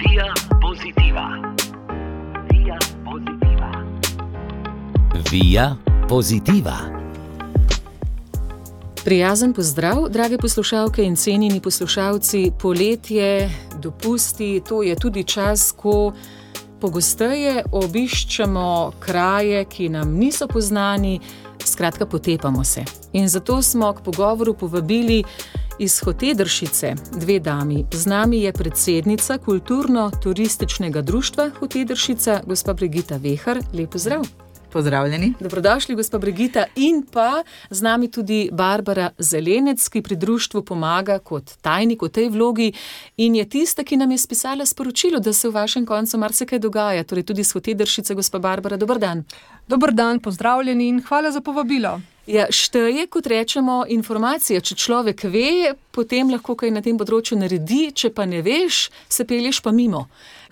Via Positiva. Via Positiva. Via Positiva. Prijazen pozdrav, drage poslušalke in cenjeni poslušalci. Poletje, dopusti, to je tudi čas, ko pogosteje obiščemo kraje, ki nam niso poznani, skratka potepamo se. In zato smo k pogovoru povabili iz Hotedršice dve dami. Z nami je predsednica Kulturno-turističnega društva Hotedršica, gospa Brigita Vehar. Lep pozdrav. Pozdravljeni. Dobrodošli, gospa Brigita. In pa z nami tudi Barbara Zelenec, ki pri društvu pomaga kot tajnik v tej vlogi in je tista, ki nam je spisala sporočilo, da se v vašem koncu marsikaj dogaja. Torej tudi iz Hotedršice, gospa Barbara, dober dan. Dober dan, pozdravljeni in hvala za povabilo. Ja, šteje, kot rečemo, informacija. Če človek ve, potem lahko kaj na tem področju naredi, če pa ne veš, se pelješ pa mimo.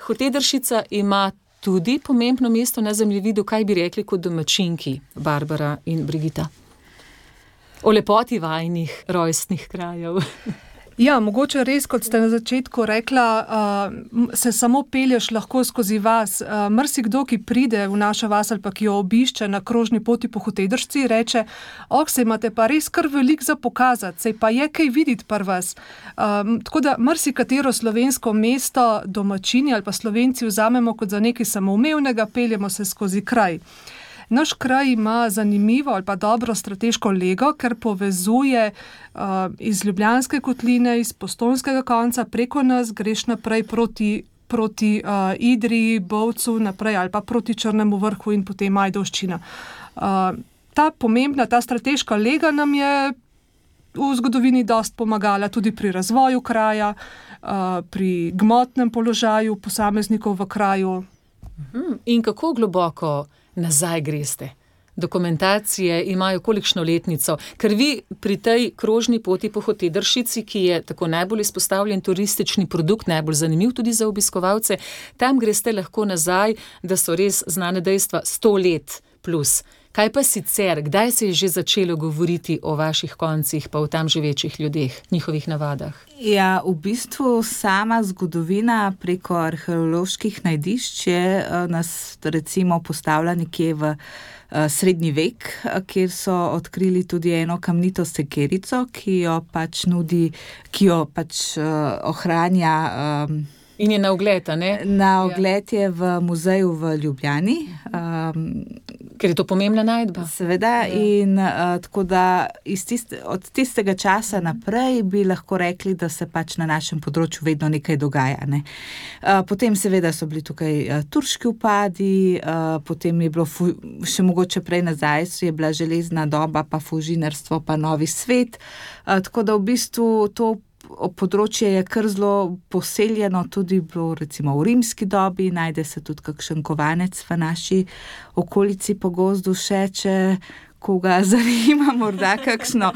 Hotedršica ima tudi pomembno mesto na zemljevidu, kaj bi rekli kot domačinki, Barbara in Brigita? O lepoti vajinih rojstnih krajev. Ja, mogoče res, kot ste na začetku rekla, se samo pelješ lahko skozi vas. Marsikdo, ki pride v našo vas ali pa ki jo obišče na krožni poti po Hotedršci, reče, saj imate pa res kar veliko za pokazati, saj pa je kaj videti pri vas. Tako da marsikatero slovensko mesto domačini ali pa Slovenci vzamemo kot za nekaj samoumevnega, peljemo se skozi kraj. Naš kraj ima zanimivo ali pa dobro strateško lego, ker povezuje iz Ljubljanske kotline, iz Postojnskega konca, preko nas greš naprej proti Idriji, Bovcu, naprej ali pa proti Črnemu vrhu in potem Ajdovščina. Ta strateška lega nam je v zgodovini dosti pomagala tudi pri razvoju kraja, pri gmotnem položaju posameznikov v kraju. In kako globoko nazaj greste? Dokumentacije imajo kolikšno letnico? Ker vi pri tej krožni poti po Hotedršici, ki je tako najbolj izpostavljen turistični produkt, najbolj zanimiv tudi za obiskovalce, tam greste lahko nazaj, da so res znane dejstva 100 let plus. Kaj pa sicer, kdaj se je že začelo govoriti o vaših koncih, pa o tam živečih ljudeh, njihovih navadah? Ja, v bistvu sama zgodovina preko arheoloških najdišč je nas recimo postavila nekje v srednji vek, kjer so odkrili tudi eno kamnito sekerico, ki jo ohranja. In je na ogled, a ne? Na ogled je v muzeju v Ljubljani. Ker je to pomembna najdba. Seveda, in tako da od tistega časa naprej bi lahko rekli, da se pač na našem področju vedno nekaj dogaja. Ne? Potem seveda so bili tukaj turški upadi, potem je bilo še mogoče prej nazaj, je bila železna doba, pa fužinarstvo, pa novi svet. Tako da v bistvu to področje je kar zelo poseljeno, tudi bilo recimo v rimski dobi, najde se tudi kakšen kovanec v naši okolici po gozdu še, če koga zanima, morda kakšno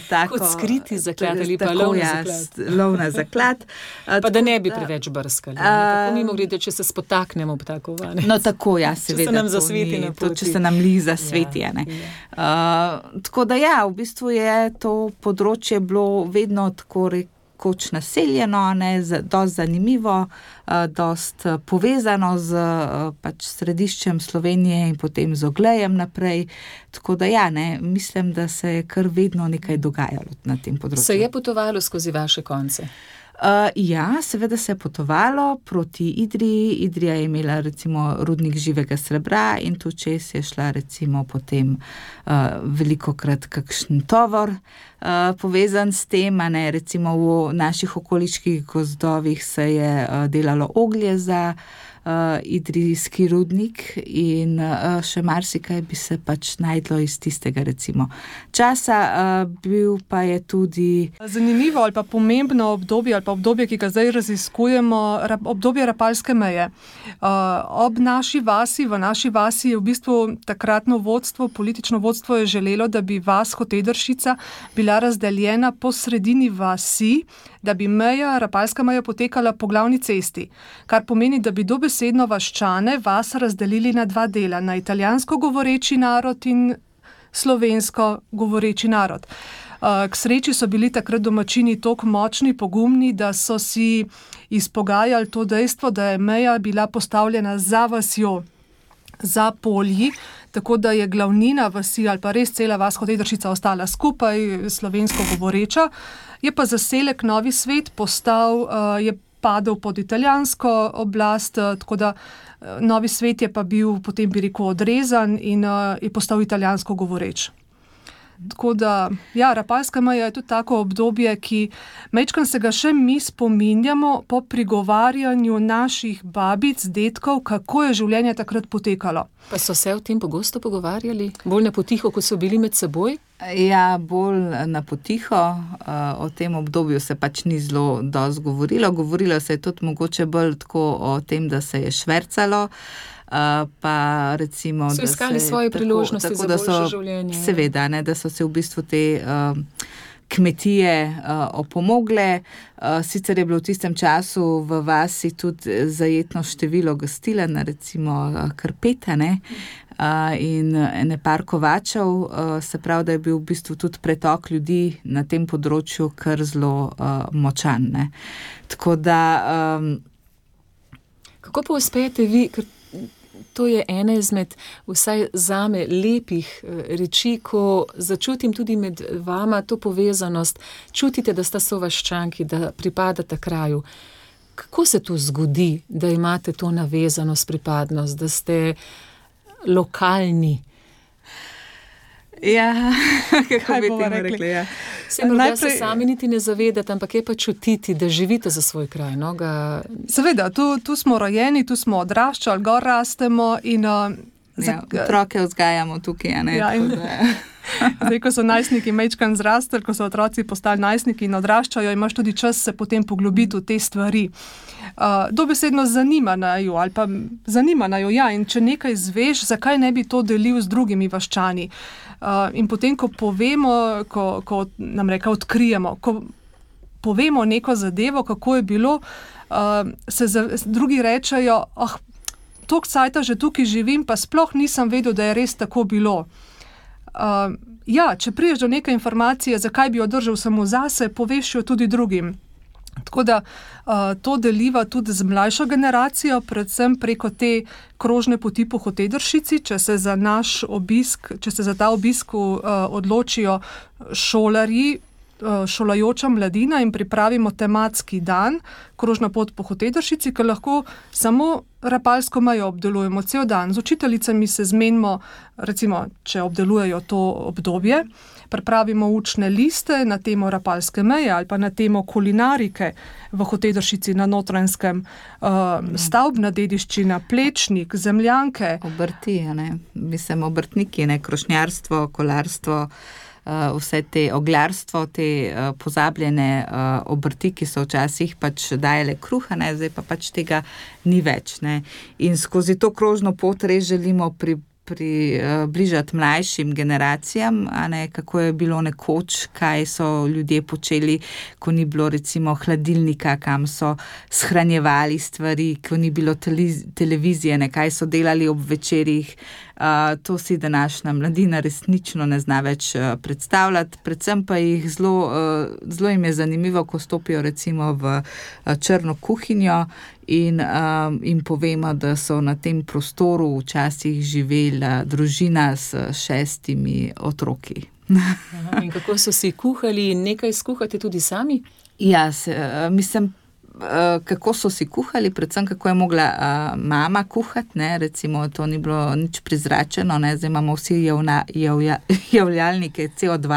tako... Kot skriti zaklad ali pa lovna zaklad. Pa da ne bi preveč brskali. Tako mimogrede, če se spotaknemo ob ta kovanec. No tako, ja, seveda. Če se nam zasveti na poti. Če se nam liza sveti, ja, ne. Tako da ja, v bistvu je to področje bilo vedno tako rekoč naseljeno, dosti zanimivo, dosti povezano z pač središčem Slovenije in potem z Oglejem naprej. Tako da ja, mislim, da se je kar vedno nekaj dogajalo na tem področju. Se je potovalo skozi vaše konce? Ja, seveda se je potovalo proti Idriji. Idrija je imela recimo rudnik živega srebra in tu čez je šla recimo potem velikokrat kakšen tovor povezan s tem, recimo v naših okoliških gozdovih se je delalo oglje za idrijski rudnik in še marsikaj bi se pač najdlo iz tistega recimo časa. Bil pa je tudi zanimivo ali pa pomembno obdobje ali pa obdobje, ki ga zdaj raziskujemo, obdobje Rapalske meje. Ob naši vasi, v naši vasi je v bistvu takratno vodstvo, politično vodstvo je želelo, da bi vas Hotedršica bila razdeljena po sredini vasi, da bi Rapalska meja potekala po glavni cesti, kar pomeni, da bi dobesedno vaščane vas razdelili na dva dela, na italijansko govoreči narod in slovensko govoreči narod. K sreči so bili takrat domačini toliko močni, pogumni, da so si izpogajali to dejstvo, da je meja bila postavljena za vasjo, za polji, tako da je glavnina vasi ali pa res cela vas Hotedršica ostala skupaj, slovensko govoreča. Je pa zaselek Novi Svet je padel pod italijansko oblast, tako da Novi Svet je pa bil potem, bi rekel, odrezan in je postal italijansko govoreč. Tako da, ja, Rapalska meja je tudi tako obdobje, ki majčkeno se ga še mi spominjamo po prigovarjanju naših babic, dedkov, kako je življenje takrat potekalo. Pa so se o tem pogosto pogovarjali? Bolj na potiho, kot so bili med seboj? Ja, bolj na potiho. O tem obdobju se pač ni zelo dosti govorilo. Govorilo se je tudi mogoče bolj tako o tem, da se je švercalo, pa recimo, so iskali svoje priložnosti za boljše življenje. Seveda, ne, da so se v bistvu te kmetije opomogle. Sicer je bilo v tistem času v vasi tudi zajetno število gostiln, recimo Krpeta, ne, in ene par kovačev, se pravi, da je bil v bistvu tudi pretok ljudi na tem področju kar zelo močan, ne. Tako da... Kako pa uspete vi, ker to je ena izmed vsaj zame lepih reči, ko začutim tudi med vama to povezanost, čutite, da sta sovaščanki, da pripadate kraju. Kako se to zgodi, da imate to navezanost, pripadnost, da ste lokalni? Ja, kako bi temu rekli, ja. Se morda se sami niti ne zavedate, ampak je pa čutiti, da živite za svoj kraj, no? Seveda, tu smo rojeni, tu smo odraščali, gor rastemo in... otroke vzgajamo tukaj, a ne? Ja, zdaj, ko so najstniki majčkeno zrastli, ko so otroci postali najstniki in odraščajo, imaš tudi čas se potem poglobiti v te stvari. Dobesedno zanimajo ali pa zanimajo, ja, in če nekaj izveš, zakaj ne bi to delil z drugimi vaščani. In potem, ko povemo, ko nam reka odkrijemo, ko povemo neko zadevo, kako je bilo, drugi rečejo, toliko cajta že tukaj živim, pa sploh nisem vedel, da je res tako bilo. Ja, če priješ do neke informacije, zakaj bi jo držal samo zase, poveš jo tudi drugim. Tako da to deliva tudi z mlajšo generacijo, predvsem preko te krožne poti po Hotedršici, če se za ta obisk odločijo šolarji, šolajoča mladina in pripravimo tematski dan, krožna pot po Hotedršici, ker lahko samo Rapalsko mejo obdelujemo cel dan. Z učiteljicami se zmenimo, recimo, če obdelujejo to obdobje, pripravimo učne liste na temo Rapalske meje ali pa na temo kulinarike v Hotedršici na Notranjskem, stavbna dediščina, plečnik, zemljanke. Obrti, ne? Mislim, obrtniki, ne? Krošnjarstvo, kolarstvo, vse te oglarstvo, te pozabljene obrti, ki so včasih pač dajale kruha, ne? Zdaj pa pač tega ni več, ne? In skozi to krožno pot res želimo približati mlajšim generacijam, a ne, kako je bilo nekoč, kaj so ljudje počeli, ko ni bilo recimo hladilnika, kam so shranjevali stvari, ko ni bilo televizije, ne, kaj so delali ob večerih. To si današnja mladina resnično ne zna več predstavljati, predvsem pa jih zelo jim je zanimivo, ko stopijo recimo v črno kuhinjo in povemo, da so na tem prostoru včasih živela družina s 6 otroki. In kako so si kuhali in nekaj skuhate tudi sami? Ja, mislim, kako so si kuhali, predvsem kako je mogla mama kuhati, ne, recimo to ni bilo nič prizračeno, ne, zdaj imamo vsi javljalnike CO2,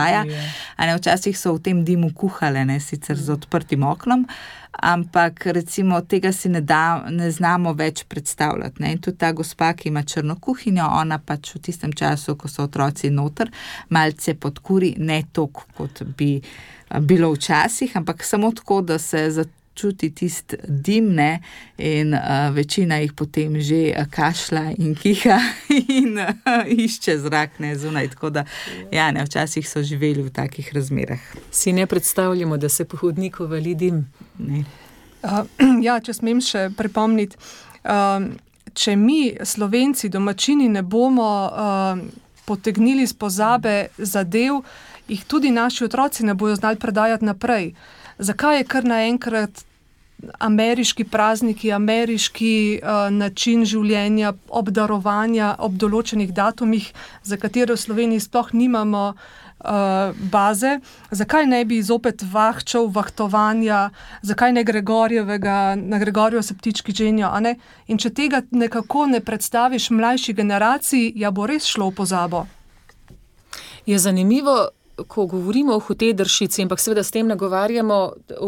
a ne, včasih so v tem dimu kuhale, ne, sicer z odprtim oknom, ampak recimo tega si ne znamo več predstavljati, ne, in tudi ta gospa, ki ima črno kuhinjo, ona pač v tistem času, ko so otroci noter, malce podkuri, ne toliko, kot bi bilo včasih, ampak samo tako, da se čuti tist dim, ne, in večina jih potem že kašla in kiha in išče zrak, ne, zunaj, tako da, ja, ne, včasih so živeli v takih razmerah. Si ne predstavljamo, da se po hodniku vali dim? Ne. Ja, če smem še pripomniti, če mi, Slovenci, domačini, ne bomo potegnili z pozabe zadev jih tudi naši otroci ne bojo znali predajati naprej. Zakaj je kar naenkrat ameriški prazniki, ameriški način življenja, obdarovanja ob določenih datumih, za katere v Sloveniji sploh nimamo baze, zakaj ne bi zopet vahčev, vahtovanja, zakaj ne na Gregorjevo se ptički ženijo, a ne? In če tega nekako ne predstaviš mlajši generaciji, ja bo res šlo v pozabo. Je zanimivo, ko govorimo o Hotedršici, ampak seveda s tem nagovarjamo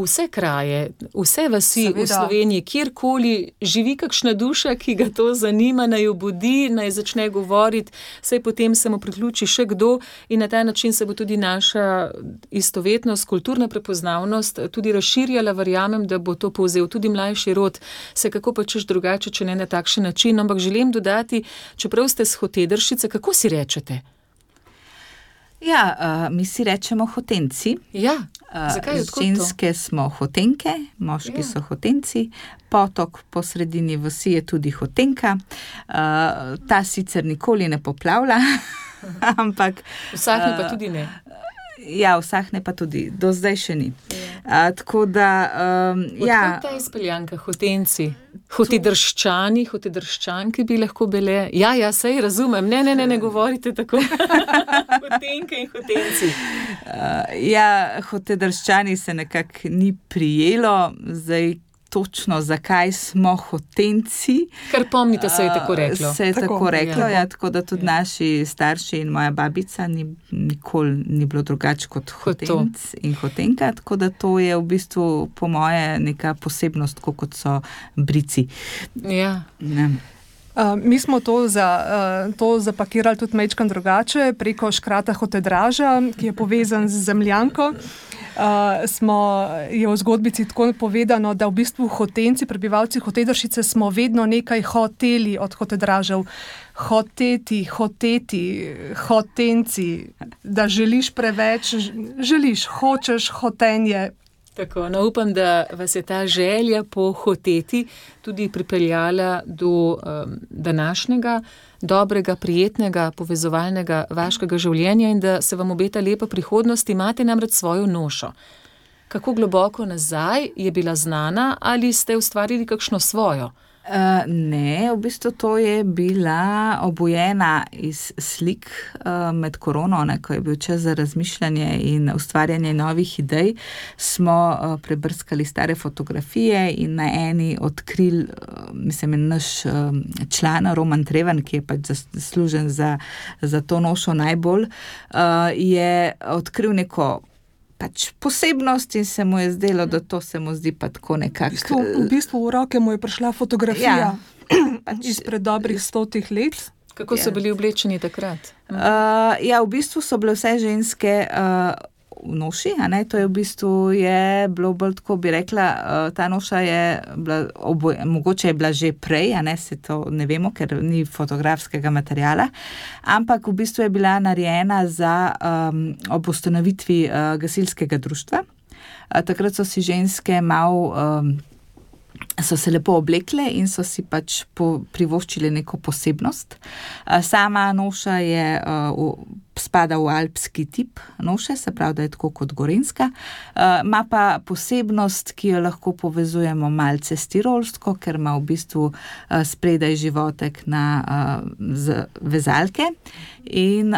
vse kraje, vse vasi v Sloveniji, kjerkoli živi kakšna duša, ki ga to zanima, naj jo budi, naj začne govoriti, saj potem se mu priključi še kdo in na ta način se bo tudi naša istovetnost, kulturna prepoznavnost tudi razširjala, verjamem, da bo to povzel tudi mlajši rod, se kako pa češ drugače, če ne na takšen način, ampak želim dodati, čeprav ste s Hotedršice, kako si rečete? Ja, mi si rečemo hotenci. Ja, zakaj? Odkud to? Ženske smo hotenke, moški so hotenci, potok po sredini vasi je tudi hotenka. Ta sicer nikoli ne poplavlja, ampak... Vsakne pa tudi ne. Ja, vsakne pa tudi, do zdaj še ni. Tako da... Odkud ta izpeljanka, hotenci? Hotedrščani, hotedrščanke bi lahko bile. Ja, sej razumem. Ne govorite tako. Hotenke in hotenci. Hotedrščani se nekako ni prijelo, zdaj točno zakaj smo hotenci. Kar pomnite, se je tako reklo. Se je tako reklo, tako da tudi naši starši in moja babica nikoli ni bilo drugače kot hotenc in hotenka, tako da to je v bistvu po moje neka posebnost, kot so brici. Ja. Mi smo to zapakirali tudi majčkeno drugače preko škrata Hotedraža, ki je povezan z zemljanko. Je v zgodbici tako povedano, da v bistvu hotenci, prebivalci Hotedršice smo vedno nekaj hoteli od Hotedražev. Hoteti, hotenci, da želiš preveč, hočeš hotenje. Tako, upam, da vas je ta želja po hoteti tudi pripeljala do današnjega dobrega, prijetnega, povezovalnega vaškega življenja in da se vam obeta lepa prihodnost. Imate namreč svojo nošo. Kako globoko nazaj je bila znana ali ste ustvarili kakšno svojo? Ne, v bistvu to je bila obojena iz slik med korono, ko je bil čas za razmišljanje in ustvarjanje novih idej, smo prebrskali stare fotografije in na eni odkrili, naš član Roman Treven, ki je pač zaslužen za to nošo najbolj, je odkril neko posebnost in se mu je zdelo, da to se mu zdi pa tako nekako... V bistvu v roke mu je prišla fotografija izpred dobrih 100 let. Kako so bili oblečeni takrat? V bistvu so bile vse ženske v noši, to je v bistvu bilo bolj tako, bi rekla, ta noša je bila, mogoče je bila že prej, se to ne vemo, ker ni fotografskega materiala, ampak v bistvu je bila narejena ob ustanovitvi gasilskega društva. Takrat so si ženske so se lepo oblekle in so si pač privoščile neko posebnost. Sama noša spada v alpski tip noše, se pravi, da je tako kot gorenjska. Ima pa posebnost, ki jo lahko povezujemo malce s tirolsko, ker ima v bistvu spredaj životek z vezalke in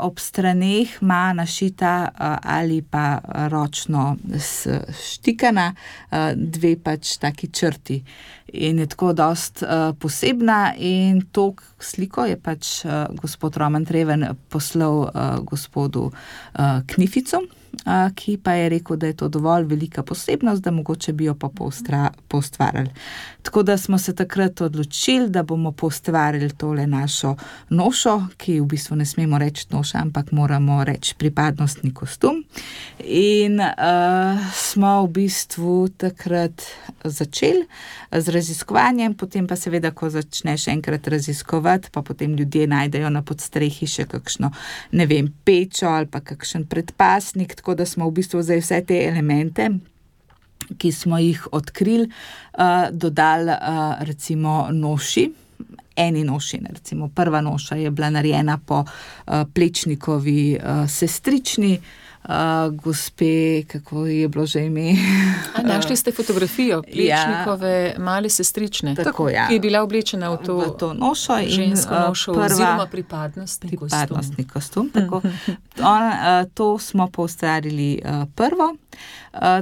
ob straneh ima našita ali pa ročno štikana dve pač taki črti. In je tako dost posebna in to sliko je pač gospod Roman Treven poslal gospodu Knificu, ki pa je rekel, da je to dovolj velika posebnost, da mogoče bi jo pa poustvarjali. Tako da smo se takrat odločili, da bomo poustvarjali tole našo nošo, ki v bistvu ne smemo reči noša, ampak moramo reči pripadnostni kostum. In smo v bistvu takrat začeli z raziskovanjem, potem pa seveda, ko začneš enkrat raziskovati, pa potem ljudje najdejo na podstrehi še kakšno, pečo ali pa kakšen predpasnik, tako da smo v bistvu zdaj vse te elemente, ki smo jih odkrili, dodali recimo noši eni noši. Recimo prva noša je bila narejena po Plečnikovi sestrični, gospe, kako je bilo že ime? Našli ste fotografijo Plečnikove male sestrične, tako, ki je bila oblečena v to nošo in žensko nošo oziroma pripadnostni kostum. Tako. To smo poustvarili prvo,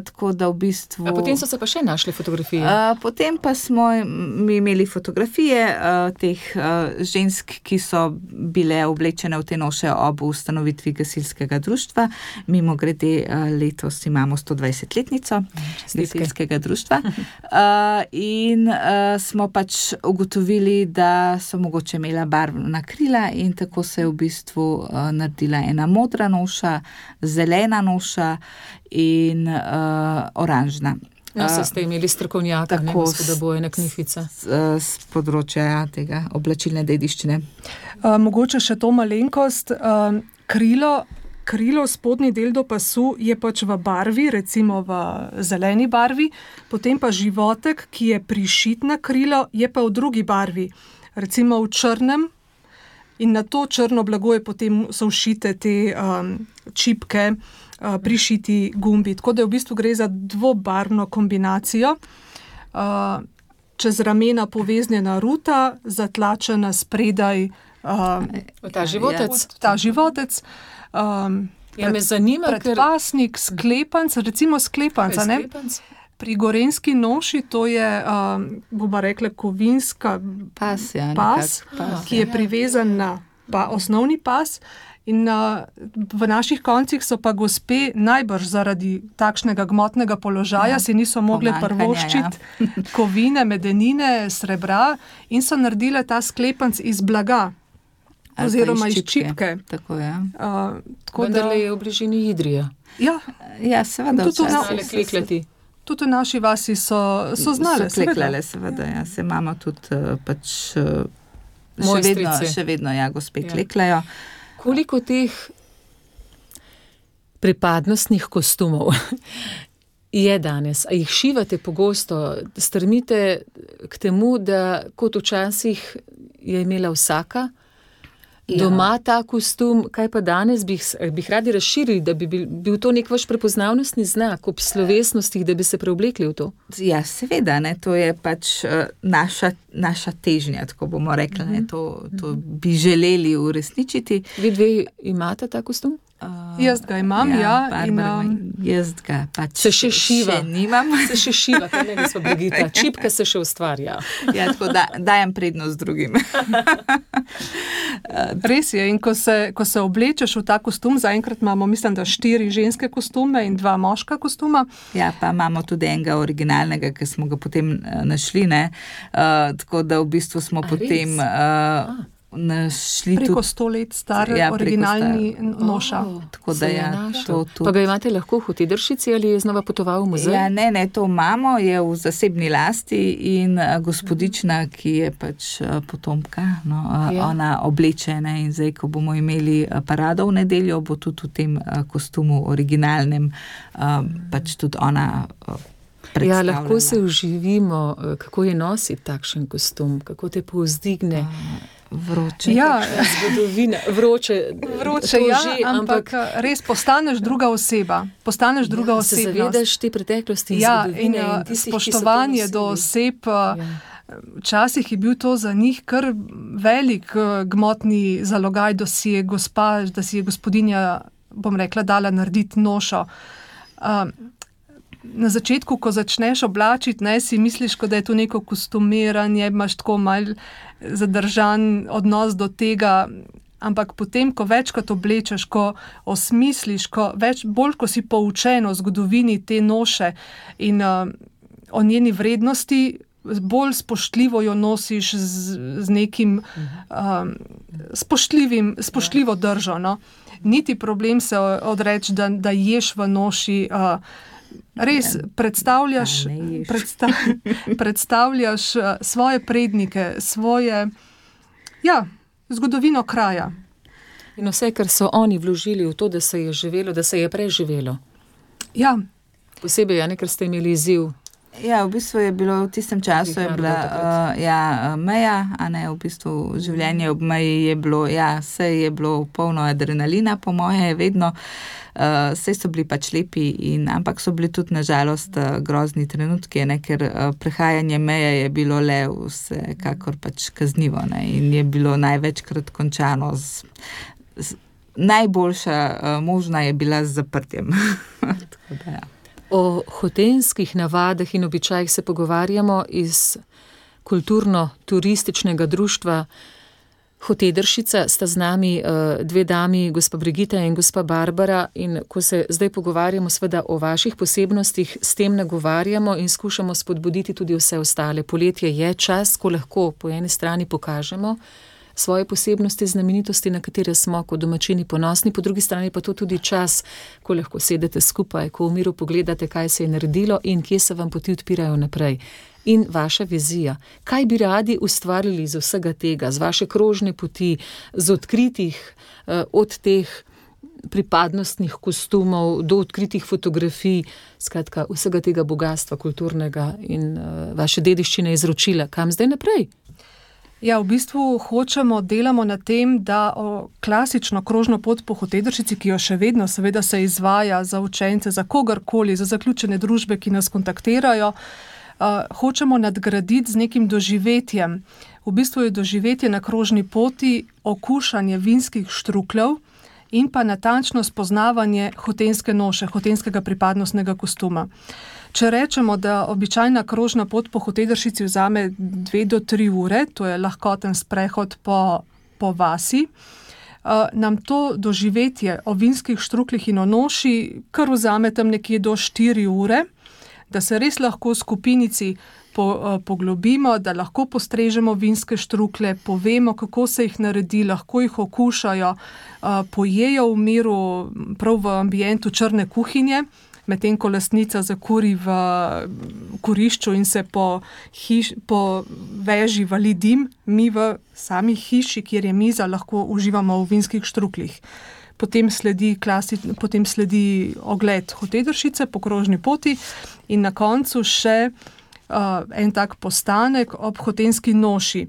tako da v bistvu... A potem so se pa še našli fotografije? Potem pa smo mi imeli fotografije teh žensk, ki so bile oblečene v te noše ob ustanovitvi gasilskega društva. Mimo grede letos imamo 120-letnico gasilskega društva in smo pač ugotovili, da so mogoče imela barvna krila in tako se je v bistvu naredila ena modra noša, zelena noša in oranžna. No, ste imeli strokovnjaka, gospoda Bojana Knifica. Z področja tega oblačilne dediščine. Mogoče še to malenkost, krilo, spodnji del do pasu je pač v barvi, recimo v zeleni barvi, potem pa životek, ki je prišit na krilo, je pa v drugi barvi, recimo v črnem, in na to črno blago je potem so všite te čipke, prišiti gumbi. Tako da v bistvu gre za dvobarvno kombinacijo. Čez ramena poveznjena ruta, zatlačena spredaj ta životec. Me zanima, predpasnik, sklepanc, recimo sklepanca, ne? Pri gorenski noši to je, bomo rekla, kovinska pas, ki je privezan na osnovni pas. In v naših koncih so pa gospe najbrž zaradi takšnega gmotnega položaja si niso mogle prvoščiti kovine, medenine, srebra in so naredile ta sklepanc iz blaga oziroma iz čipke. Tako je. Vendar je v bližini Idrija. Ja, seveda. Tudi v naši vasi so znale. So kleklale, seveda. Ja. Se imamo tudi pač še vedno gospe kleklajo. Koliko teh pripadnostnih kostumov je danes? A jih šivate pogosto? Strmite k temu, da kot včasih je imela vsaka doma ta kostum, kaj pa danes bi radi razširili, da bi bil to nek vaš prepoznavnostni znak ob slovesnostih, da bi se preoblekli v to? Ja, seveda, ne, to je pač naša težnja, tako bomo rekli, ne, to bi želeli uresničiti. Vi dve imate ta kostum? Jaz ga imam, jaz ga pač se še šiva. Še nimam. Se še šiva, kaj ne smo Brigita. Čipka se še ustvarja. Ja, tako dajem prednost drugim. Res je, in ko se oblečeš v ta kostum, zaenkrat imamo, mislim, da 4 ženske kostume in 2 moška kostuma. Ja, pa imamo tudi enega originalnega, ki smo ga potem našli, ne. Tako da v bistvu smo potem našli preko 100 let star originalni noša. Tako da Pa ga imate lahko v Hotedršici ali je znova potoval v muzej? Ja, ne, to imamo, je v zasebni lasti in gospodična, ki je pač potomka, ona obleče, ne, in zdaj, ko bomo imeli parado v nedeljo, bo tudi v tem kostumu originalnem pač tudi ona predstavljala. Ja, lahko se uživimo, kako je nositi takšen kostum, kako te povzdigne. Vroče. Ja, zgodovina, vroče ja, ampak res postaneš druga oseba. Se zavedaš te preteklosti in zgodovine in tistih, spoštovanje do oseb. Včasih je bil to za njih kar velik gmotni zalogaj, da si je gospodinja, bom rekla, dala narediti nošo. Na začetku, ko začneš oblačiti, si misliš, da je to neko kostumiranje, imaš tako mal zadržan odnos do tega, ampak potem, ko večkrat oblečeš, ko osmisliš, bolj ko si poučen o zgodovini te noše in o njeni vrednosti, bolj spoštljivo jo nosiš z nekim spoštljivo držo. No? Niti problem se odreči, da ješ v noši. Res predstavljaš svoje prednike, zgodovino kraja. In vse, kar so oni vložili v to, da se je živelo, da se je preživelo. Ja. Posebej, ker ste imeli izziv Ja, v bistvu je bilo v tistem času je bila meja, a ne, v bistvu življenje ob meji je bilo, vse je bilo polno adrenalina, po moje vedno, vse so bili pač lepi, ampak so bili tudi nažalost grozni trenutki, ne, ker prehajanje meje je bilo le vsekakor pač kaznivo, ne, in je bilo največkrat končano najboljša možna je bila z zaprtjem. Tako da, O hotenskih navadah in običajih se pogovarjamo iz kulturno-turističnega društva Hotedršica. Sta z nami dve dami, gospa Brigita in gospa Barbara, in ko se zdaj pogovarjamo seveda o vaših posebnostih, s tem nagovarjamo in skušamo spodbuditi tudi vse ostale. Poletje je čas, ko lahko po eni strani pokažemo svoje posebnosti, znamenitosti, na katere smo kot domačini ponosni, po drugi strani pa to tudi čas, ko lahko sedete skupaj, ko v miru pogledate, kaj se je naredilo in kje se vam poti odpirajo naprej. In vaša vizija. Kaj bi radi ustvarili iz vsega tega, z vaše krožne poti, z odkritih, od teh pripadnostnih kostumov do odkritih fotografij, skratka vsega tega bogatstva kulturnega in vaše dediščine izročila. Kam zdaj naprej? Ja, v bistvu delamo na tem, da klasično krožno pot po Hotedršici, ki jo še vedno seveda se izvaja za učence, za kogarkoli, za zaključene družbe, ki nas kontaktirajo, hočemo nadgraditi z nekim doživetjem. V bistvu je doživetje na krožni poti okušanje vinskih štrukljev in pa natančno spoznavanje hotenske noše, hotenskega pripadnostnega kostuma. Če rečemo, da običajna krožna pot po Hotedršici vzame 2 do 3 ure, to je lahkoten sprehod po vasi, nam to doživetje o vinskih štrukljih in o noši kar vzame tam nekje do 4 ure, da se res lahko v skupinici poglobimo, da lahko postrežemo vinske štruklje, povemo, kako se jih naredi, lahko jih okušajo, pojejo v miru, prav v ambientu črne kuhinje, medtem ko lastnica zakuri v kurišču in se po veži vali dim, mi v sami hiši, kjer je miza, lahko uživamo v vinskih štrukljih. Potem sledi ogled Hotedršice po krožni poti in na koncu še en tak postanek ob hotenski noši,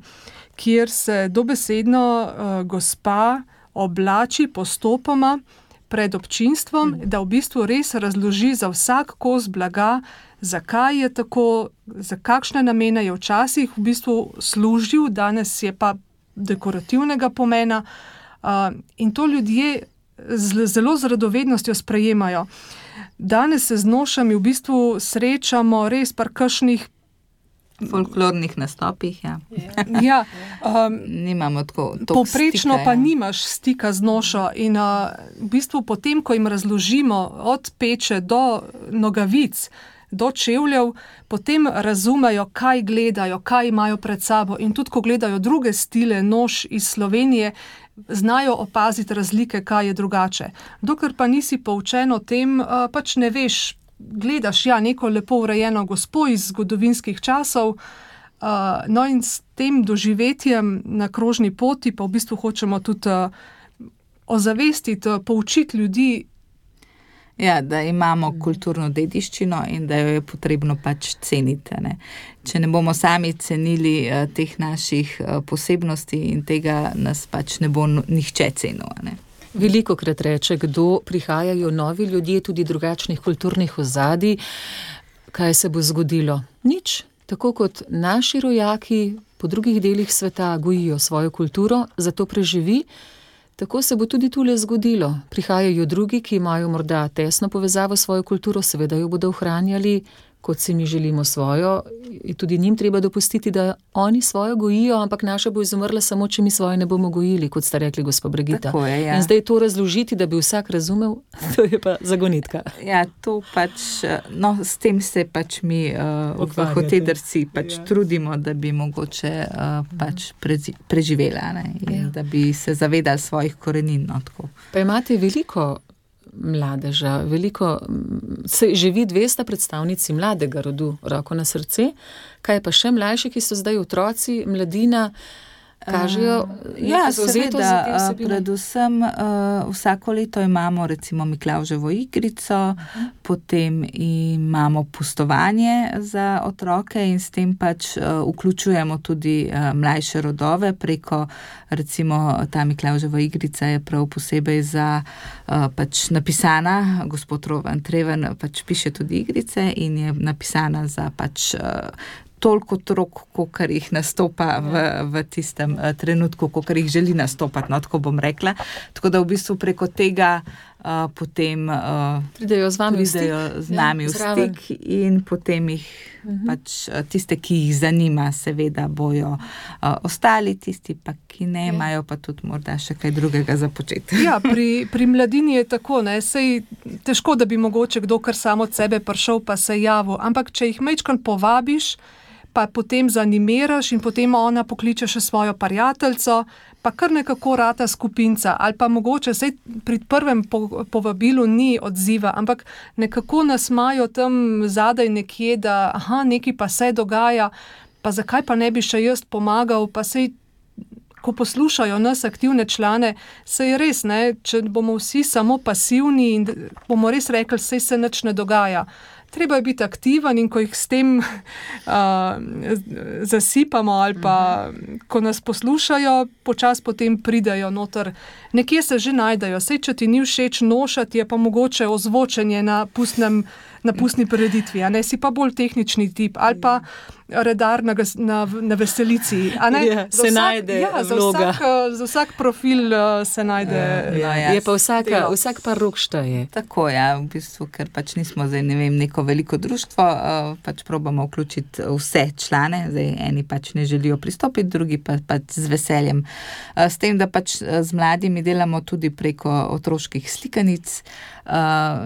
kjer se dobesedno gospa oblači postopoma pred občinstvom, da v bistvu res razloži za vsak kos blaga, zakaj je tako, za kakšne namene je včasih v bistvu služil, danes je pa dekorativnega pomena, in to ljudje zelo z radovednostjo sprejemajo. Danes se z nošami v bistvu srečamo res par kakšnih folklornih nastopih, Ja, nimamo tako povprečno stika, pa nimaš stika z nošo in v bistvu potem, ko jim razložimo od peče do nogavic, do čevljev, potem razumejo, kaj gledajo, kaj imajo pred sabo, in tudi ko gledajo druge stile noš iz Slovenije, znajo opaziti razlike, kaj je drugače. Dokler pa nisi poučen o tem, pač ne veš, gledaš neko lepo urejeno gospo iz zgodovinskih časov, no in s tem doživetjem na krožni poti pa v bistvu hočemo tudi ozavestiti, poučiti ljudi. Ja, da imamo kulturno dediščino in da jo je potrebno pač ceniti, ne. Če ne bomo sami cenili teh naših posebnosti in tega, nas pač ne bo nihče cenil, ne. Velikokrat reče, kdo prihajajo novi ljudje, tudi drugačnih kulturnih ozadij, kaj se bo zgodilo? Nič. Tako kot naši rojaki po drugih delih sveta gojijo svojo kulturo, zato preživi, tako se bo tudi tule zgodilo. Prihajajo drugi, ki imajo morda tesno povezavo s svojo kulturo, seveda jo bodo ohranjali, kot si mi želimo svojo, in tudi njim treba dopustiti, da oni svojo gojijo, ampak naša bo izumrla samo, če mi svoje ne bomo gojili, kot sta rekli gospa Brigita. Tako je, ja. In zdaj to razložiti, da bi vsak razumel, to je pa zagonitka. Ja, to pač, s tem se pač mi v Hotedrci pač trudimo, da bi mogoče pač preživela, ne, in da bi se zavedali svojih korenin, tako. Pa imate veliko mladeža, se živi 200 predstavnici mladega rodu, roko na srce. Kaj pa še mlajši, ki so zdaj otroci, mladina? kažejo zavzetost za te vsebine? Predvsem vsako leto imamo recimo Miklavževo igrico, potem imamo pustovanje za otroke in s tem pač vključujemo tudi mlajše rodove preko, recimo ta Miklavževa igrica je prav posebej za pač napisana, gospod Rovan Treven pač piše tudi igrice in je napisana za pač toliko otrok, kolikor jih nastopa v tistem trenutku, kolikor jih želi nastopati, no, tako bom rekla. Tako da v bistvu preko tega potem pridejo z nami v stik in potem jih pač tiste, ki jih zanima, seveda bojo ostali, tisti pa, ki ne imajo, pa tudi morda še kaj drugega za početi. Ja, pri mladini je tako, ne, sej težko, da bi mogoče kdo kar samo od sebe prišel pa se javil, ampak če jih majčkeno povabiš, pa potem zanimiraš in potem ona pokliče še svojo prijateljico, pa kar nekako rata skupinca, ali pa mogoče, sej pri prvem povabilu ni odziva, ampak nekako nas imajo tam zadaj nekje, da nekaj pa se dogaja, pa zakaj pa ne bi še jaz pomagal, pa sej, ko poslušajo nas aktivne člane, sej res, ne, če bomo vsi samo pasivni in bomo res rekli, sej se nič ne dogaja. Treba je biti aktiven in ko jih s tem zasipamo ali pa ko nas poslušajo, počas potem pridejo noter. Nekje se že najdejo. Sej, če ti ni všeč nošati, je pa mogoče ozvočenje na pustni prireditvi, a ne, si pa bolj tehnični tip, ali pa redar na veselici. A ne? Se najde vloga. Za vsak profil se najde. Je pa vsak par rok šteje. Tako, v bistvu, ker pač nismo zdaj, ne vem, neko veliko društvo, pač probamo vključiti vse člane, zdaj eni pač ne želijo pristopiti, drugi pa pač z veseljem. S tem, da pač z mladimi delamo tudi preko otroških slikanic.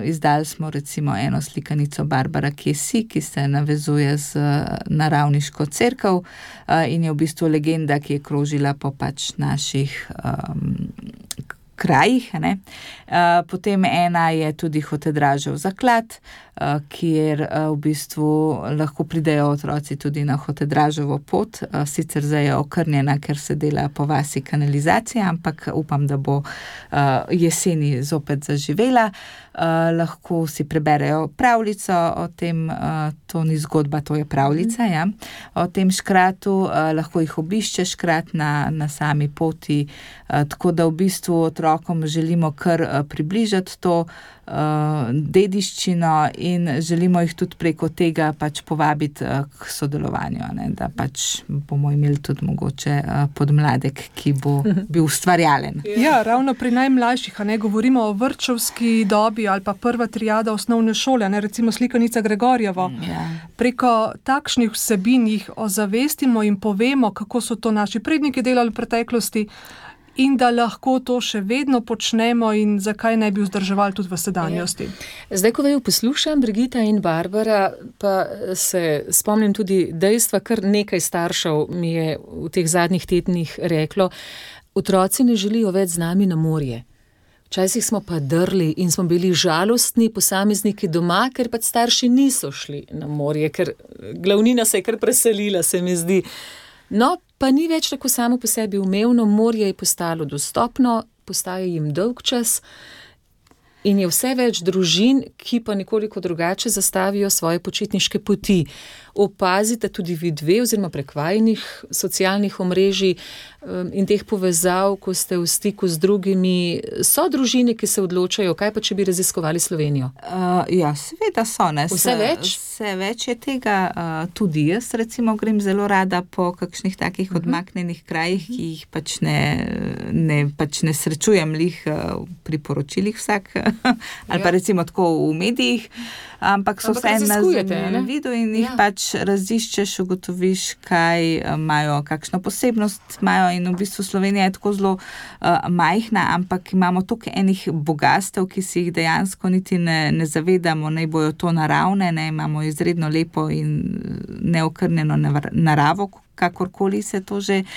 Izdali smo recimo eno slikanico Barbara Kesi, ki se navezuje z naravniško cerkev in je v bistvu legenda, ki je krožila po pač naših krajih. Potem ena je tudi Hotedražev zaklad, kjer v bistvu lahko pridejo otroci tudi na Hotedraževo pot. Sicer zdaj je okrnjena, ker se dela po vasi kanalizacija, ampak upam, da bo jeseni zopet zaživela. Lahko si preberejo pravljico o tem, to ni zgodba, to je pravljica, o tem škratu, lahko jih obišče škrat na sami poti, tako da v bistvu otrokom želimo kar približati to dediščino in želimo jih tudi preko tega pač povabiti k sodelovanju, da pač bomo imeli tudi mogoče podmladek, ki bo bil ustvarjalen. Ja, ravno pri najmlajših, govorimo o vrtčevski dobi ali pa prva triada osnovne šole, recimo slikanica Gregorjevo. Preko takšnih vsebin jih ozavestimo in povemo, kako so to naši predniki delali v preteklosti, in da lahko to še vedno počnemo in zakaj ne bi vzdrževali tudi v sedanjosti. Zdaj, ko vaju poslušam, Brigita in Barbara, pa se spomnim tudi dejstva, kar nekaj staršev mi je v teh zadnjih tednih reklo, otroci ne želijo več z nami na morje. Včasih smo pa drli in smo bili žalostni posamezniki doma, ker pa starši niso šli na morje, ker glavnina se je kar preselila, se mi zdi. No, pa ni več tako samo po sebi umevno, morje je postalo dostopno, postaja jim dolg čas in je vse več družin, ki pa nekoliko drugače zastavijo svoje počitniške poti. Opazite tudi vi dve, oziroma prek vajinih socialnih omrežij in teh povezav, ko ste v stiku z drugimi, so družine, ki se odločajo, kaj pa če bi raziskovali Slovenijo? Ja, seveda so, ne. Vse več? Vse več je tega, tudi jaz recimo grem zelo rada po kakšnih takih odmaknenih krajih, ki jih pač ne srečujem lih pri poročilih vsak, ali pa recimo tako v medijih, ampak so vse na vidu in jih pač raziščeš, ugotoviš, kaj imajo, kakšno posebnost imajo in v bistvu Slovenija je tako zelo majhna, ampak imamo toliko enih bogastev, ki si jih dejansko niti ne zavedamo, naj bojo to naravne, imamo izredno lepo in neokrnjeno naravo, kakorkoli se to že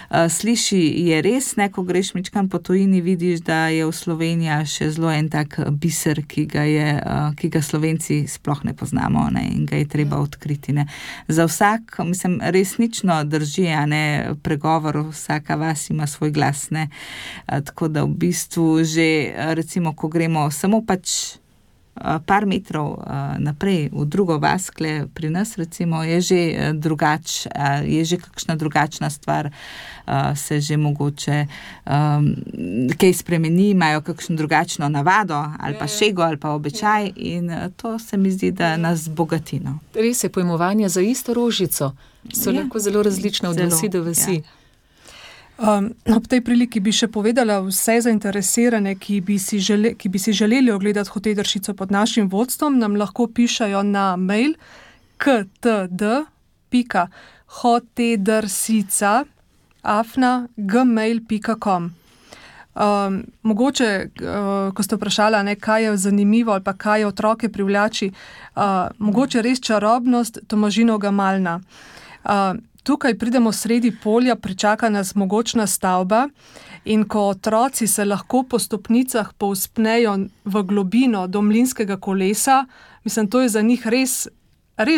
sliši, je res, ne, ko greš mičkam po tujini, vidiš, da je v Slovenija še zelo en tak biser, ki ga Slovenci sploh ne poznamo, ne, in ga je treba odkriti, ne. Za vsak, mislim, resnično drži, ne, pregovor, vsaka vas ima svoj glas, ne. Tako da v bistvu že, recimo, ko gremo samo pač par metrov naprej v drugo vas, pri nas recimo, je že je že kakšna drugačna stvar, se že mogoče kaj spremeni, imajo kakšno drugačno navado ali pa šego ali pa običaj in to se mi zdi, da nas bogati. No. Res je, pojmovanja za isto rožico so lahko zelo različne od vasi do vasi. Ob tej priliki bi še povedala vse zainteresirane, ki bi si želeli ogledati Hotedršico pod našim vodstvom, nam lahko pišajo na mail ktd.hotedrsica@gmail.com. Mogoče, ko ste vprašala, kaj je zanimivo ali pa kaj otroke privlači, mogoče res čarobnost Tomažinovega Malna. Tukaj pridemo sredi polja, pričaka nas mogočna stavba in ko otroci se lahko po stopnicah povzpnejo v globino do mlinskega kolesa, mislim, to je za njih res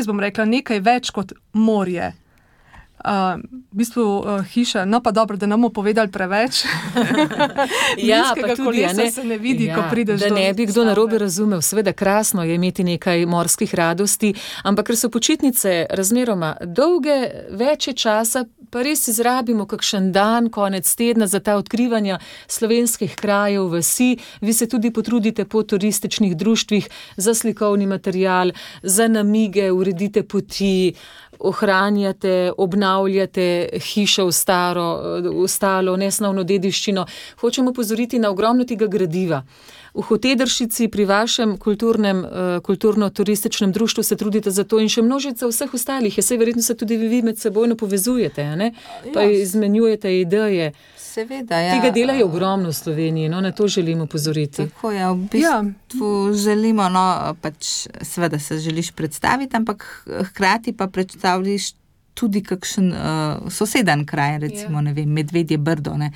bom rekla, nekaj več kot morje. V bistvu hiša, no pa dobro, da ne bomo povedali preveč. Pa tudi, kolesa se ne vidi, ko prideš do da ne bi kdo narobe razumel. Seveda krasno je imeti nekaj morskih radosti, ampak ker so počitnice razmeroma dolge, več je časa, pa res izrabimo kakšen dan, konec tedna za ta odkrivanja slovenskih krajev, vasi. Vi se tudi potrudite po turističnih društvih za slikovni material, za namige, uredite poti, ohranjate, obnavljate hišo v stalo, nesnovno dediščino. Hočemo pozoriti na ogromno tega gradiva. V Hotedršici pri vašem kulturno-turističnem društvu se trudite za to in še množica vseh ostalih. Saj verjetno se tudi vi med sebojno povezujete, ne? Pa izmenjujete ideje. Seveda, ja. Tega dela je ogromno v Sloveniji, no, na to želimo pozoriti. Tako je, v bistvu želimo, no, pač seveda se želiš predstaviti, ampak hkrati pa predstavljaš tudi kakšen soseden kraj, recimo, ne vem, Medvedje Brdo, ne.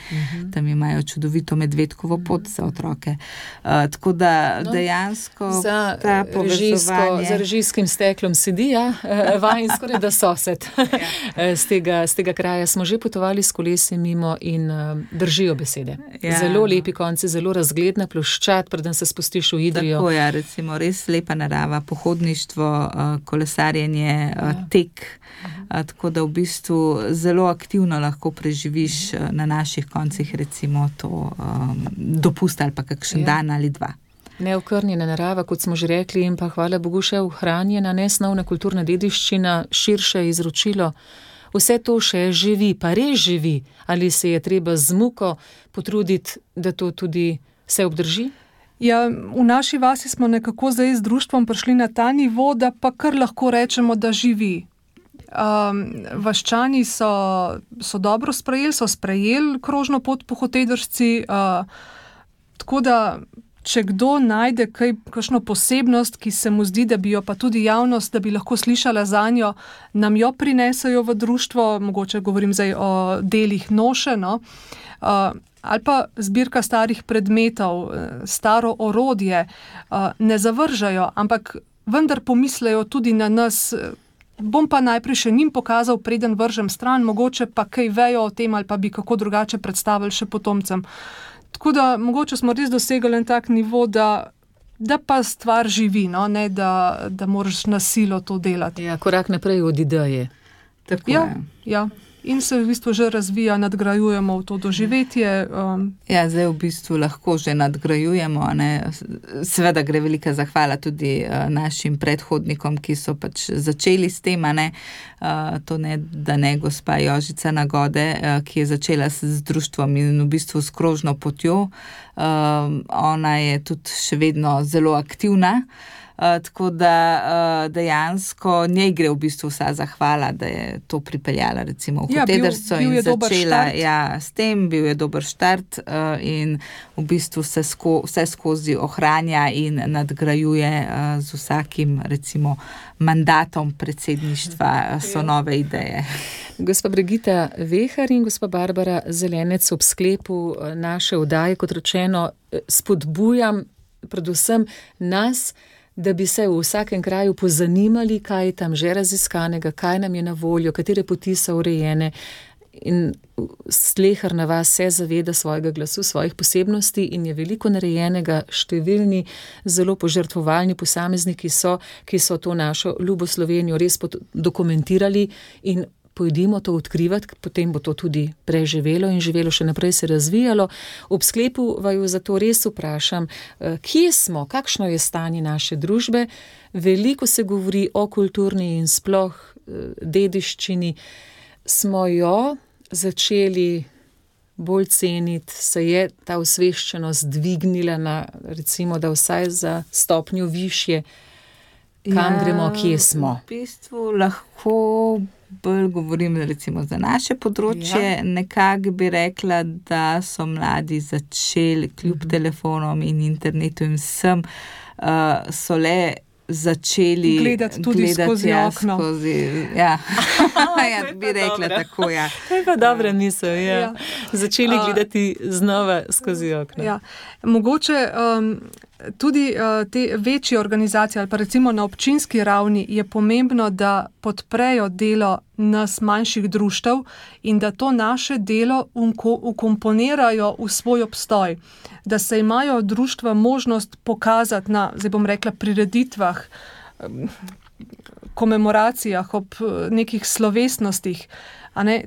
Tam imajo čudovito medvedkovo pot za otroke. Tako da dejansko ta povezovanje... Za režijskim steklom sedi, vajen skoraj da sosed. Z tega kraja smo že potovali s kolesi mimo in držijo besede. Zelo lepi konci, zelo razgledna ploščad, preden se spustiš v Idrijo. Tako je, recimo, res lepa narava, pohodništvo, kolesarjenje, tek, tako da v bistvu zelo aktivno lahko preživiš na naših koncih, recimo to dopust ali pa kakšen dan ali dva. Neokrnjena narava, kot smo že rekli, in pa hvala Bogu še ohranjena nesnovna kulturna dediščina, širše izročilo. Vse to še živi, pa res živi. Ali se je treba z muko potruditi, da to tudi se obdrži? Ja, v naši vasi smo nekako zdaj z društvom prišli na ta nivo, da pa kar lahko rečemo, da živi. Vaščani so dobro sprejeli krožno pot po Hotedršici, tako da če kdo najde kakšno posebnost, ki se mu zdi, da bi jo pa tudi javnost, da bi lahko slišala zanjo, nam jo prinesejo v društvo, mogoče govorim zdaj o delih noše, no, ali pa zbirka starih predmetov, staro orodje, ne zavržajo, ampak vendar pomislejo tudi na nas. Bom pa najprej še njim pokazal, preden vržem stran, mogoče pa kaj vejo o tem ali pa bi kako drugače predstavili še potomcem. Tako da mogoče smo res dosegli en tak nivo, da pa stvar živi, no? Ne da moraš na silo to delati. Ja, korak naprej od ideje. Tako je. Ja. In se v bistvu že razvija, nadgrajujemo v to doživetje. Ja, zdaj v bistvu lahko že nadgrajujemo, ne. Seveda gre velika zahvala tudi našim predhodnikom, ki so pač začeli s tem, ne. To ne, da ne gospa Jožica Nagode, ki je začela z društvom in v bistvu s krožno potjo. Ona je tudi še vedno zelo aktivna. Tako da dejansko njej gre v bistvu vsa zahvala, da je to pripeljala recimo v Hotedršico in začela s tem, bil je dober štart in v bistvu se vse skozi ohranja in nadgrajuje z vsakim recimo mandatom predsedništva so nove ideje. Gospa Brigita Vehar in gospa Barbara Zelenec, ob sklepu naše oddaje, kot rečeno, spodbujam predvsem nas, da bi se v vsakem kraju pozanimali, kaj je tam že raziskanega, kaj nam je na voljo, katere poti so urejene. In sleherna vas se zaveda svojega glasu, svojih posebnosti in je veliko narejenega, številni zelo požrtvovalni posamezniki so, ki so to našo ljubo Slovenijo res dokumentirali in pojdimo to odkrivati, potem bo to tudi preživelo in živelo še naprej se razvijalo. Ob sklepu vaju zato res vprašam, kje smo, kakšno je stanje naše družbe. Veliko se govori o kulturni in sploh dediščini. Smo jo začeli bolj ceniti, se je ta osveščenost dvignila na, recimo, da vsaj za stopnjo višje, kam gremo, kje smo? V bistvu lahko bolj govorim recimo za naše področje, nekako bi rekla, da so mladi začeli kljub telefonom in internetu in vsem, so le začeli gledati tudi skozi okno. Ja, bi rekla tako, ja. To je pa dobra misel, ja. Začeli gledati znova skozi okno. Ja. Mogoče tudi te večje organizacije ali pa recimo na občinski ravni je pomembno, da podprejo delo nas manjših društev in da to naše delo ukomponirajo v svoj obstoj. Da se imajo društva možnost pokazati na, zdaj bom rekla, prireditvah, komemoracijah, ob nekih slovesnostih.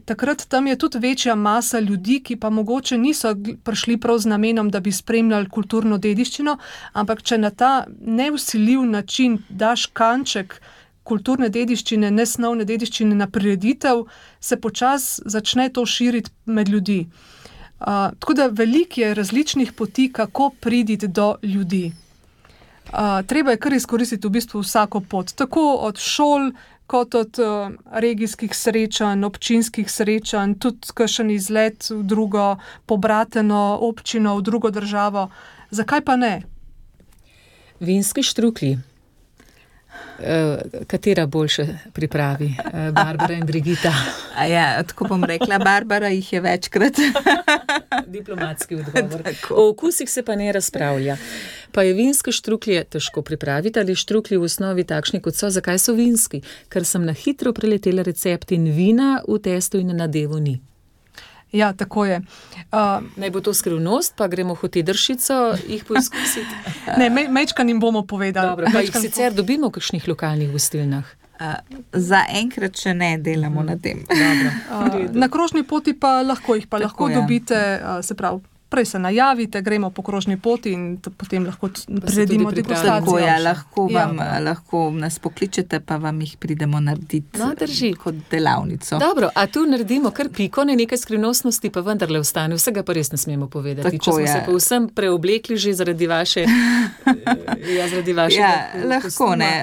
Takrat tam je tudi večja masa ljudi, ki pa mogoče niso prišli prav z namenom, da bi spremljali kulturno dediščino, ampak če na ta nevsiljiv način daš kanček kulturne dediščine, nesnovne dediščine na prireditev, se počasi začne to širiti med ljudi. Tako da veliko je različnih poti, kako priditi do ljudi. Treba je kar izkoristiti v bistvu vsako pot, tako od šol, kot od regijskih srečanj, občinskih srečanj, tudi kakšen izlet v drugo pobrateno občino, v drugo državo. Zakaj pa ne? Vinski štruklji. Katera boljše pripravi? Barbara in Brigita. Ja, tako bom rekla, Barbara jih je večkrat. Diplomatski odgovor. O okusih se pa ne razpravlja. Pa je vinske štruklje težko pripraviti ali štruklji v osnovi takšni, kot so. Zakaj so vinski? Ker sem na hitro preletela recept in vina v testu in na nadevu ni. Ja, tako je. Naj bo to skrivnost, pa gremo hotedršico jih poizkusiti. Ne, mečkan jim bomo povedali. Dobro, pa jih sicer dobimo v kakšnih lokalnih gostilnah. Za enkrat še ne delamo na tem. Na krožni poti pa lahko dobite, se pravi, prej se najavite, gremo po krožni poti in potem lahko priredimo degustacijo. Tako, lahko nas pokličete, pa vam jih pridemo narediti kot delavnico. Dobro, a tu naredimo kar piko, ne nekaj skrivnostnosti, pa vendarle ostane, vsega pa res ne smemo povedati. Tako, če smo se pa vsem preoblekli že zaradi vaše lahko ne.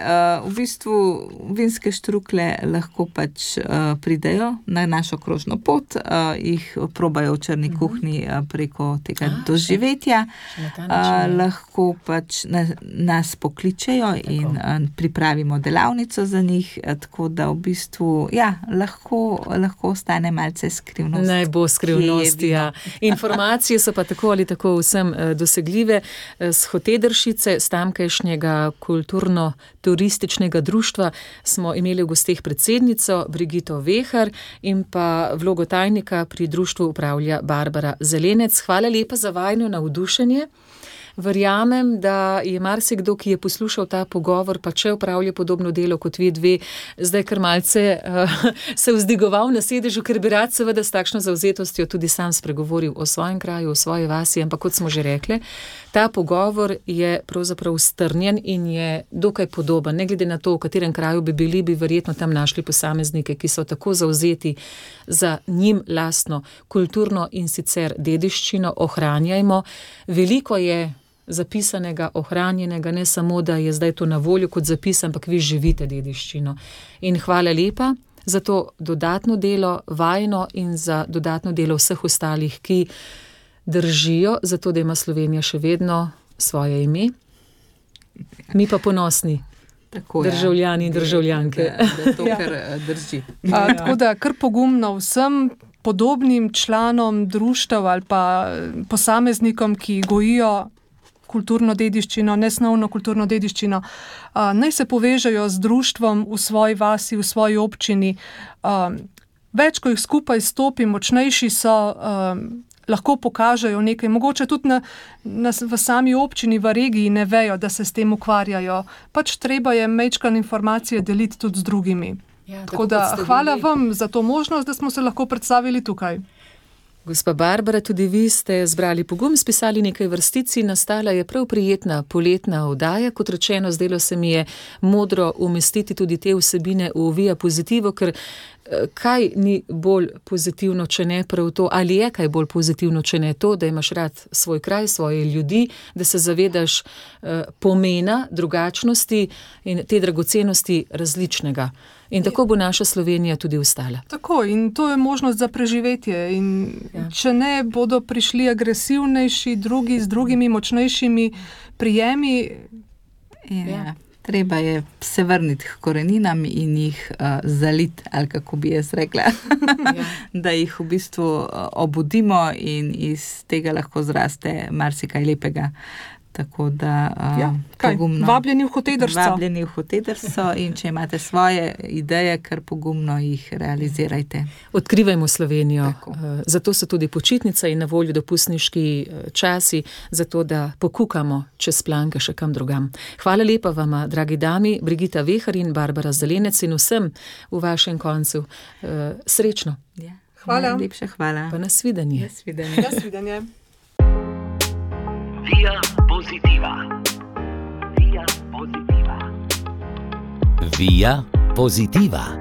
V bistvu vinske štrukle lahko pač pridejo na našo krožno pot, jih probajo v črni kuhinji preko tega doživetja, lahko pač nas pokličejo in pripravimo delavnico za njih, tako da v bistvu, lahko ostane malce skrivnost. Naj bo skrivnost, ja. Informacije so pa tako ali tako vsem dosegljive. S Hotedršice, s tamkajšnjega kulturno-turističnega društva smo imeli v gosteh predsednico Brigito Vehar in pa vlogo tajnika pri društvu upravlja Barbara Zelenec. Hvala lepa za vajno navdušenje. Verjamem, da je marsikdo, ki je poslušal ta pogovor, pa če upravlja podobno delo kot vi dve, zdaj kar malce se vzdigoval na sedežu, ker bi rad seveda s takšno zavzetostjo tudi sam spregovoril o svojem kraju, o svoji vasi, ampak kot smo že rekli, ta pogovor je pravzaprav strnjen in je dokaj podoben. Ne glede na to, v katerem kraju bi bili, bi verjetno tam našli posameznike, ki so tako zavzeti za njim lastno kulturno in sicer dediščino. Ohranjajmo. Veliko je zapisanega, ohranjenega, ne samo, da je zdaj to na voljo kot zapis, ampak vi živite dediščino. In hvala lepa za to dodatno delo, vajno in za dodatno delo vseh ostalih, ki držijo, zato da ima Slovenija še vedno svoje ime. Mi pa ponosni. Tako, državljani in državljanke. Da to kar drži. Tako da kar pogumno vsem podobnim članom društev ali pa posameznikom, ki gojijo kulturno dediščino, nesnovno kulturno dediščino, naj se povežejo z društvom v svoji vasi, v svoji občini. Več, ko jih skupaj stopi, močnejši so, lahko pokažejo nekaj. Mogoče tudi v sami občini, v regiji ne vejo, da se s tem ukvarjajo. Pač treba je majčkeno informacije deliti tudi z drugimi. Ja, tako da hvala vam za to možnost, da smo se lahko predstavili tukaj. Gospa Barbara, tudi vi ste zbrali pogum, spisali nekaj vrstic in nastala je prav prijetna poletna oddaja. Kot rečeno, zdelo se mi je modro umestiti tudi te vsebine v Via Positivo, ker kaj ni bolj pozitivno, če ne prav to, ali je kaj bolj pozitivno, če ne to, da imaš rad svoj kraj, svoje ljudi, da se zavedaš pomena drugačnosti in te dragocenosti različnega. In tako bo naša Slovenija tudi ostala. Tako, in to je možnost za preživetje. In če ne, bodo prišli agresivnejši drugi z drugimi močnejšimi prijemi. Treba je se vrniti k koreninam in jih zaliti, ali kako bi jaz rekla, da jih v bistvu obudimo in iz tega lahko zraste marsikaj lepega. Tako da pogumno. Vabljeni v Hotedrso. Vabljeni v Hotedrso in če imate svoje ideje, kar pogumno jih realizirajte. Odkrivajmo Slovenijo. Zato so tudi počitnice in na voljo dopustniški časi, zato da pokukamo čez planke še kam drugam. Hvala lepa vama, dragi dami, Brigita Vehar in Barbara Zelenec in vsem v vašem koncu. Srečno. Ja. Hvala. Lepša hvala. Pa nasvidenje. Nasvidenje. Via Positiva. Via Positiva. Via Positiva.